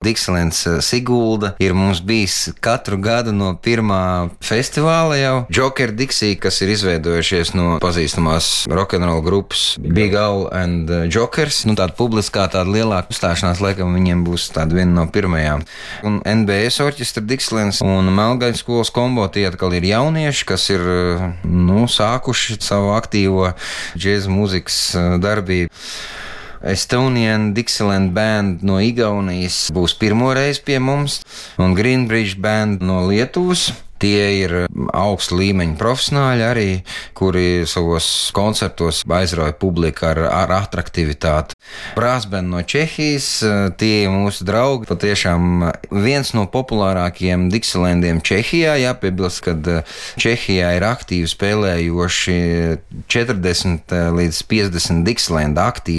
Dixielands Sigulda ir mums bijis katru gadu no pirmā festivāla jau. Joker Dixie, kas ir izveidojušies no pazīstamās rock'n'roll grupas Big Al and Jokers. Tāda publiskā, tāda lielāka uzstāšanās, laikam viņiem būs tāda viena no pirmajām. Un NBS orķestra Dixielands un Melngaļas skolas kombo tie atkal ir jaunieši, kas ir sākuši savu aktīvo džēza mūzikas darbību. Estonian Dixieland Band no Igaunijas būs pirmoreiz pie mums, un Greenbridge Band no Lietuvas. Tie ir augsta līmeņa profesionāļi arī, kuri savos koncertos aizrauja publiku ar atraktivitāti. Brassband no Čehijas, tie ir mūsu draugi. Patiešām viens no populārākajiem Dixielandiem Čehijā. Jāpiebilst, ka Čehijā ir aktīvi spēlējoši 40 līdz 50 Dixieland aktīvi.